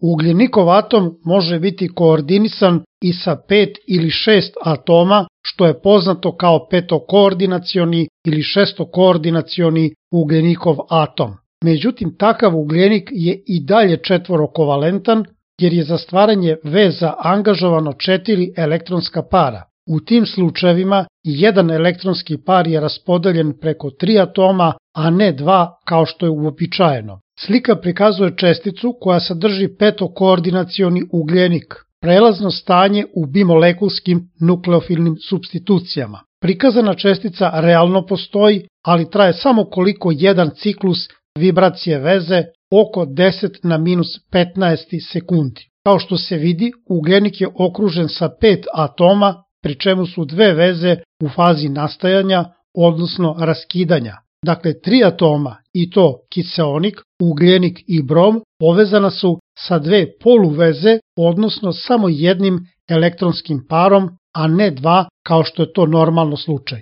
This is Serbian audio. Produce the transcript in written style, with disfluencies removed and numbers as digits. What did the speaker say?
Ugljenikov atom može biti koordinisan i sa 5 ili 6 atoma, što je poznato kao petokoordinacioni ili šestokoordinacioni ugljenikov atom. Međutim, takav ugljenik je i dalje četvorokovalentan, jer je za stvaranje veza angažovano 4 elektronska para. U tim slučajevima jedan elektronski par je raspodeljen preko 3 atoma, a ne 2 kao što je uobičajeno. Slika prikazuje česticu koja sadrži petokoordinacioni ugljenik, prelazno stanje u bimolekulskim nukleofilnim supstitucijama. Prikazana čestica realno postoji, ali traje samo koliko jedan ciklus vibracije veze, oko 10 na minus 15 sekundi. Kao što se vidi, ugljenik je okružen sa 5 atoma, pri čemu su 2 veze u fazi nastajanja, odnosno raskidanja. Dakle, 3 atoma, i to kiseonik, ugljenik i brom, povezana su sa 2 poluveze, odnosno samo jednim elektronskim parom, a ne 2 kao što je to normalno slučaj.